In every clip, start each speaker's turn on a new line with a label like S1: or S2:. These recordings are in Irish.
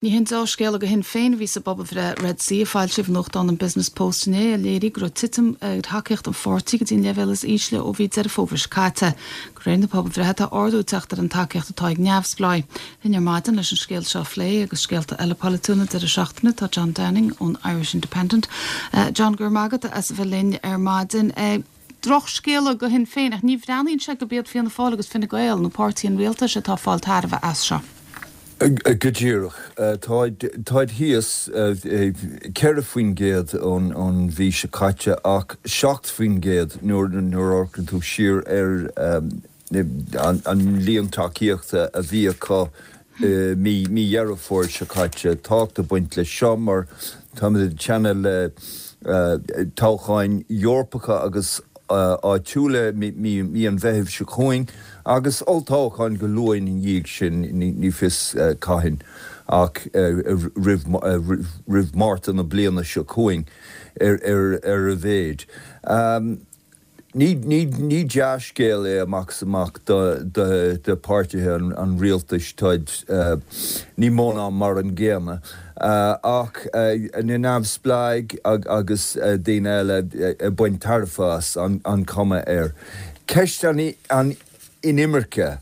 S1: Ní haon deá-scéala do Shinn Féin a bhí sa bpobalbhreith Red C a foilsíodh i nuachtán an Business Post inné, a léirigh go raibh titim ar thacaíocht an pháirtí go dtí an leibhéal is ísle ó mhí Deireadh Fómhair seo caite. De réir na pobalbhreithe tá ardú ag teacht ar an tacaíocht atá ag neamhspleáigh. Linn ar maidin leis an scéal seo a phlé agus scéalta eile polaitiúla an deireadh seachtaine tá John Downing ón Irish Independent. John, go raibh maith agat as a bheith linn ar maidin. Drochscéala do Shinn Féin, ach ní bhreathnaíonn sé gurb iad Fianna Fáil agus Fine Gael, nó páirtí an rialtais, atá ag fáil tairbhe as seo.
S2: Go díreach. Táid thíos 4% ón mhí seo caite ach 7% nuair a amharcann tú siar ar an líon tacaíochta a bhí acu mí Dheireadh Fómhair seo caite. Tábhacht ag baint leis seo mar táimid ag teannadh le toghcháin Eorpacha agus áitiúla mí an Mheithimh seo chugainn agus olltoghchán go luath ina dhiaidh sin, ní fios cathain ach roimh Márta na bliana seo chugainn ar a mhéad. Ní dea-scéal é amach is amach do pháirtithe an rialtais, táid ní mó ná mar an gcéanna, ach na neamhspleáigh agus daoine eile ag baint tairbhe as, an chuma air. Ceist an inimirce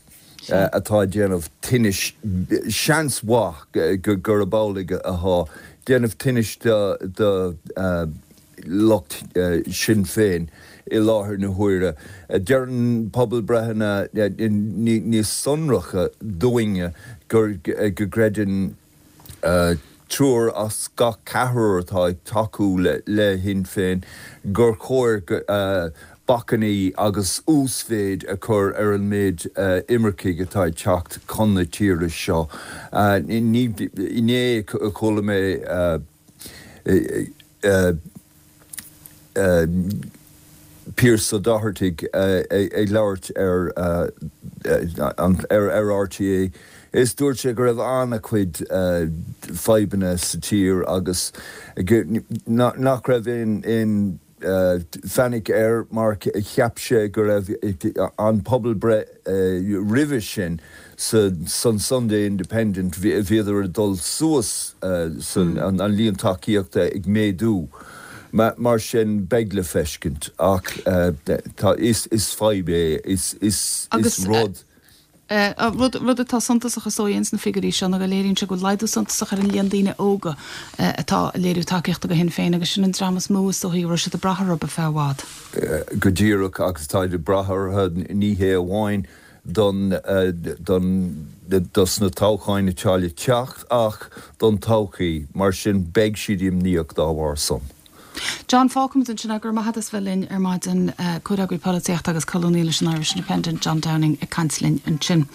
S2: atá ag déanamh tinnis, seans mhaith gurb amhlaidh atá, déanamh tinnis do lucht Sinn Féin i láthair na huaire. Deireann pobalbreitheanna níos sonracha dúinne go gcreideann triúr as gach ceathrar atá ag tacú le Shinn Féin gur chóir bacainní agus uasmhéid a chur ar an méid imircigh atá ag teacht chun na tíre seo. Inné chuala mé Pearse Doherty ag labhairt ar RTÉ is dúirt sé go raibh an-chuid fadhbanna sa tír agus nach raibh aon fainic air mar cheap sé go raibh an pobalbhreith roimhe sin san Sunday Independent, bhíodar ag dul suas, an líon tacaíochta ag méadú. Mar sin beidh le feiscint ach is fadhb é, is rud.
S1: Rud atá suntasach is dóigh ins na figiúirí seo ná go léiríonn sé go bhfuil laghdú suntasach ar an líon daoine óga atá ag léiriú tacaíochta do Shinn Féin agus sin an dream is mó is dóichí a raibh siad ag brath orthu ar feadh i bhfad.
S2: Go díreach agus táid ag brath orthu ní hé amháin don don dos na toghcháin atá le teacht ach don todhchaí, mar sin beidh siad imníoch dá bharr san.
S1: John, Fágfaimid ansin é. Go raibh maith agat as bheith linn ar maidin. Comhfhreagraí polaitíochta agus colúnaí leis an Irish Independent, John Downing ag caint linn ansin.